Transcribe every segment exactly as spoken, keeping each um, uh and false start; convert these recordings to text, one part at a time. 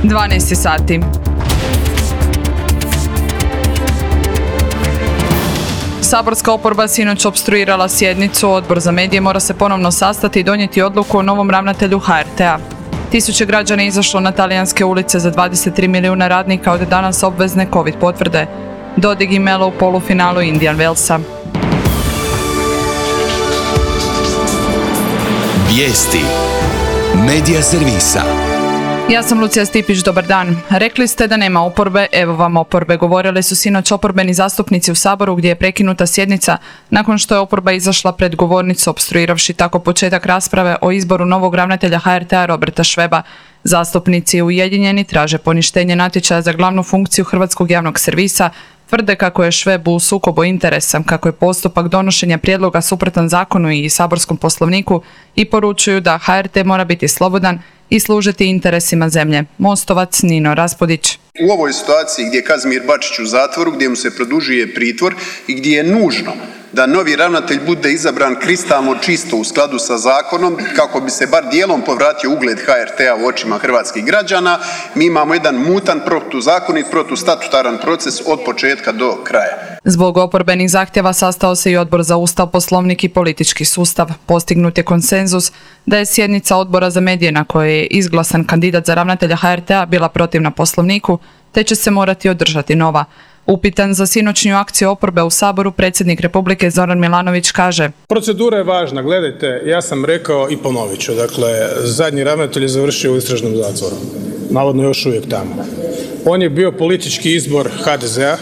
dvanaest sati. Saborska oporba sinoć opstruirala sjednicu. Odbor za medije mora se ponovno sastati i donijeti odluku o novom ravnatelju ha er te-a. Tisuće građana je izašlo na talijanske ulice za dvadeset tri milijuna radnika od danas obvezne covid potvrde. Dodig i Melo u polufinalu Indian Wellsa. Vijesti Medija servisa. Ja sam Lucija Stipić, dobar dan. Rekli ste da nema oporbe, evo vam oporbe. Govorili su sinoć oporbeni zastupnici u Saboru gdje je prekinuta sjednica nakon što je oporba izašla pred govornicu opstruiravši tako početak rasprave o izboru novog ravnatelja ha er te-a Roberta Šveba. Zastupnici ujedinjeni traže poništenje natječaja za glavnu funkciju hrvatskog javnog servisa, tvrde kako je Šveb u sukobu interesa, kako je postupak donošenja prijedloga suprotan zakonu i saborskom poslovniku i poručuju da ha er te mora biti slobodan i služiti interesima zemlje. Mostovac Nino Raspudić. U ovoj situaciji gdje je Kazimir Bačić u zatvoru, gdje mu se produžuje pritvor i gdje je nužno da novi ravnatelj bude izabran kristalno čisto u skladu sa zakonom kako bi se bar dijelom povratio ugled ha er te-a u očima hrvatskih građana, mi imamo jedan mutan, protuzakonit, protustatutaran proces od početka do kraja. Zbog oporbenih zahtjeva sastao se i Odbor za Ustav, Poslovnik i politički sustav. Postignut je konsenzus da je sjednica Odbora za medije na kojoj je izglasan kandidat za ravnatelja ha er te-a bila protivna Poslovniku, te će se morati održati nova. Upitan za sinoćnju akciju oporbe u Saboru, predsjednik Republike Zoran Milanović kaže: Procedura je važna, gledajte, ja sam rekao i ponovit ću, dakle, zadnji ravnatelj je završio u istražnom zatvoru, navodno još uvijek tamo. On je bio politički izbor ha de ze-a,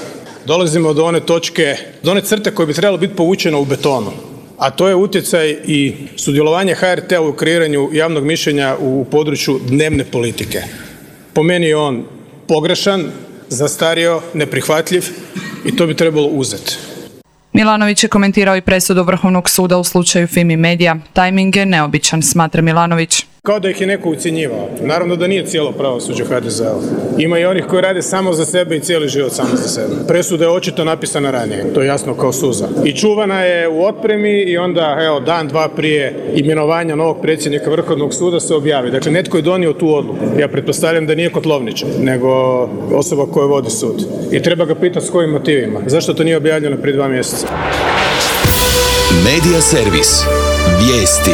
dolazimo do one točke, do one crte koje bi trebalo biti povučeno u betonu, a to je utjecaj i sudjelovanje ha er te-a u kreiranju javnog mišljenja u području dnevne politike. Po meni je on pogrešan, zastario, neprihvatljiv i to bi trebalo uzeti. Milanović je komentirao i presudu Vrhovnog suda u slučaju Fimi Media. Tajming je neobičan, smatra Milanović. Kao da ih je neko ucjenjivao. Naravno da nije cijelo pravosuđe ha de ze-a. Ima i onih koji rade samo za sebe i cijeli život samo za sebe. Presuda je očito napisana ranije, to je jasno kao suza. I čuvana je u otpremi i onda, evo, dan, dva prije imenovanja novog predsjednika Vrhovnog suda se objavi. Dakle, netko je donio tu odluku. Ja pretpostavljam da nije Kotlovničar, nego osoba koja vodi sud. I treba ga pitati s kojim motivima. Zašto to nije objavljeno prije dva mjeseca? Medija servis. Vijesti.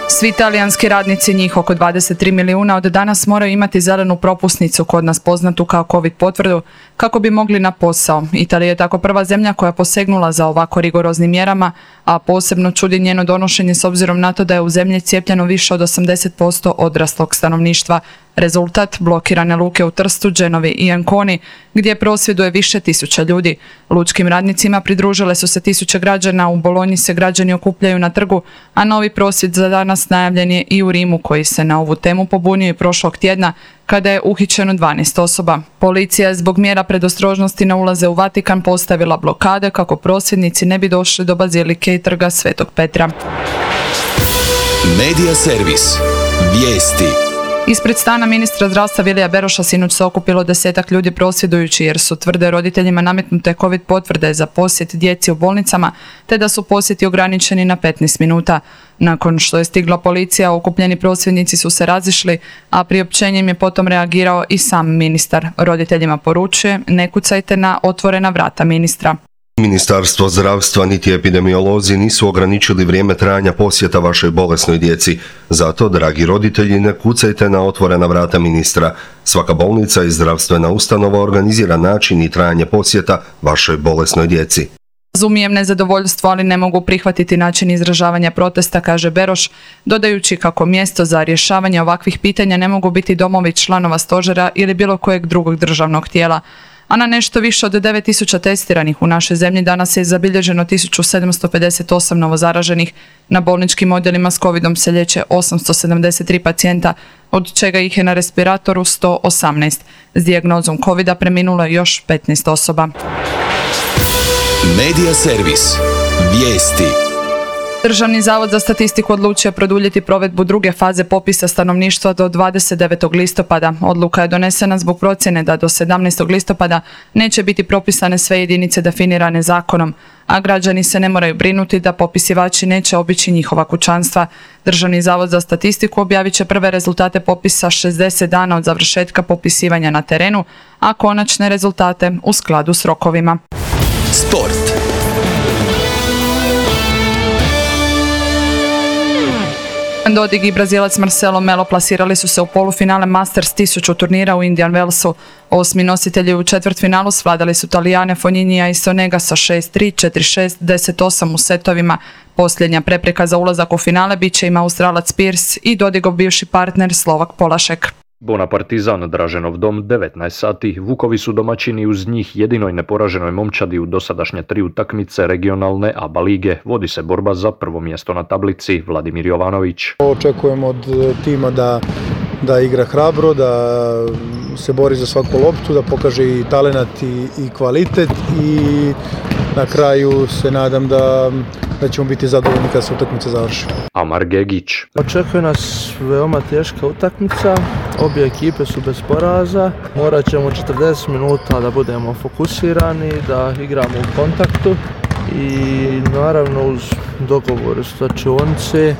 Svi talijanski radnici, njih oko dvadeset tri milijuna, od danas moraju imati zelenu propusnicu, kod nas poznatu kao covid potvrdu, kako bi mogli na posao. Italija je tako prva zemlja koja je posegnula za ovako rigoroznim mjerama, a posebno čudi njeno donošenje s obzirom na to da je u zemlji cijepljeno više od osamdeset posto odraslog stanovništva. Rezultat: blokirane luke u Trstu, Genovi i Anconi, gdje prosvjeduje više tisuća ljudi. Lučkim radnicima pridružile su se tisuće građana, u Bolonji se građani okupljaju na trgu, a novi prosvjed za danas najavljen je i u Rimu, koji se na ovu temu pobunio i prošlog tjedna, kada je uhićeno dvanaest osoba. Policija je zbog mjera predostrožnosti na ulaze u Vatikan postavila blokade kako prosvjednici ne bi došli do bazilike i trga Svetog Petra. Medija servis. Vijesti. Ispred stana ministra zdravstva Vilija Beroša sinoć se okupilo desetak ljudi prosvjedujući jer su, tvrde, roditeljima nametnute covid potvrde za posjet djeci u bolnicama, te da su posjeti ograničeni na petnaest minuta. Nakon što je stigla policija, okupljeni prosvjednici su se razišli, a priopćenjem je potom reagirao i sam ministar. Roditeljima poručuje: ne kucajte na otvorena vrata ministra. Ministarstvo zdravstva niti epidemiolozi nisu ograničili vrijeme trajanja posjeta vašoj bolesnoj djeci. Zato, dragi roditelji, ne kucajte na otvorena vrata ministra. Svaka bolnica i zdravstvena ustanova organizira način i trajanje posjeta vašoj bolesnoj djeci. Razumijem nezadovoljstvo, ali ne mogu prihvatiti način izražavanja protesta, kaže Beroš, dodajući kako mjesto za rješavanje ovakvih pitanja ne mogu biti domovi članova stožera ili bilo kojeg drugog državnog tijela. A na nešto više od devet tisuća testiranih u našoj zemlji danas je zabilježeno tisuću sedamsto pedeset osam novozaraženih. Na bolničkim odjelima s covidom se liječe osamsto sedamdeset tri pacijenta, od čega ih je na respiratoru sto osamnaest. S dijagnozom covida preminulo je još petnaest osoba. Medija servis. Vijesti. Državni zavod za statistiku odlučio produljiti provedbu druge faze popisa stanovništva do dvadeset devetog listopada. Odluka je donesena zbog procjene da do sedamnaestog listopada neće biti propisane sve jedinice definirane zakonom, a građani se ne moraju brinuti da popisivači neće obići njihova kućanstva. Državni zavod za statistiku objavit će prve rezultate popisa šezdeset dana od završetka popisivanja na terenu, a konačne rezultate u skladu s rokovima. Sport. Dodig i Brazilac Marcelo Melo plasirali su se u polufinale Masters tisuću turnira u Indian Wellsu. Osmi nositelji u četvrtfinalu svladali su Talijane Fognini'a i Sonega sa šest tri, četiri šest, deset osam u setovima. Posljednja prepreka za ulazak u finale bit će im Australac Pearce i Dodigov bivši partner Slovak Polašek. Bona Partizan, Draženov dom, devetnaest sati. Vukovi su domaćini uz njih jedinoj neporaženoj momčadi u dosadašnje tri utakmice regionalne A B A lige. Vodi se borba za prvo mjesto na tablici. Vladimir Jovanović. Očekujemo od tima da, da igra hrabro, da se bori za svaku loptu, da pokaže i talenat i, i kvalitet i na kraju se nadam da, da ćemo biti zadovoljni kad se utakmica završi. Amar Gegić. Očekuje nas veoma teška utakmica, obje ekipe su bez poraza, morat ćemo četrdeset minuta da budemo fokusirani, da igramo u kontaktu i naravno uz dogovor slačionice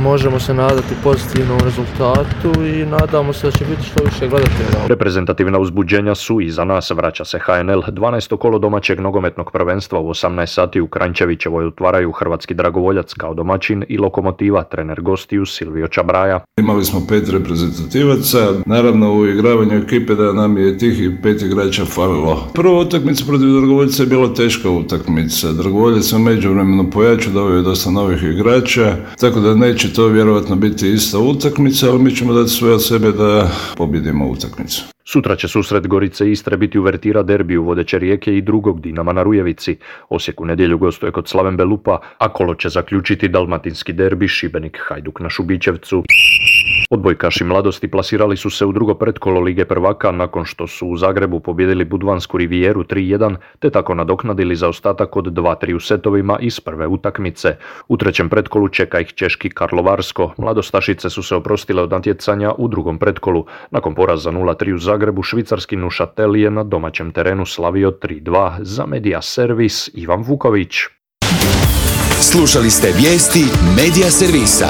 možemo se nadati pozitivnom rezultatu i nadamo se da će biti što više gledatelja. Reprezentativna uzbuđenja su iza nas. Vraća se H N L. dvanaesto kolo domaćeg nogometnog prvenstva u osamnaest sati u Kranjčevićevoj otvaraju Hrvatski Dragovoljac kao domaćin i Lokomotiva, trener gostiju Silvio Čabraja. Imali smo pet reprezentativaca, naravno u igravanju ekipe da nam je tih i pet igrača falilo. Prva utakmica protiv Dragovoljca je bila teška utakmica. Dragovoljac se u međuvremenu pojačao, doveo je dosta novih igrača, tako da neće to vjerojatno biti ista utakmica, ali mi ćemo dati sve od sebe da pobjedimo utakmicu. Sutra će susret Gorice i Istre biti uvertira derbiju vodeće Rijeke i drugog Dinama na Rujevici. Osijek u nedjelju gostuje kod Slaven Belupa, a kolo će zaključiti dalmatinski derbi Šibenik Hajduk na Šubićevcu. Odbojkaši Mladosti plasirali su se u drugo pretkolo Lige prvaka nakon što su u Zagrebu pobijedili Budvansku Rivijeru tri jedan, te tako nadoknadili zaostatak od dva tri u setovima iz prve utakmice. U trećem pretkolu čeka ih češki Karlovarsko. Mladostašice su se oprostile od natjecanja u drugom pretkolu. Nakon poraza nula tri u Zagrebu, švicarski Neuchâtel je na domaćem terenu slavio tri dva. Za Media Servis Ivan Vuković. Slušali ste vijesti Media Servisa.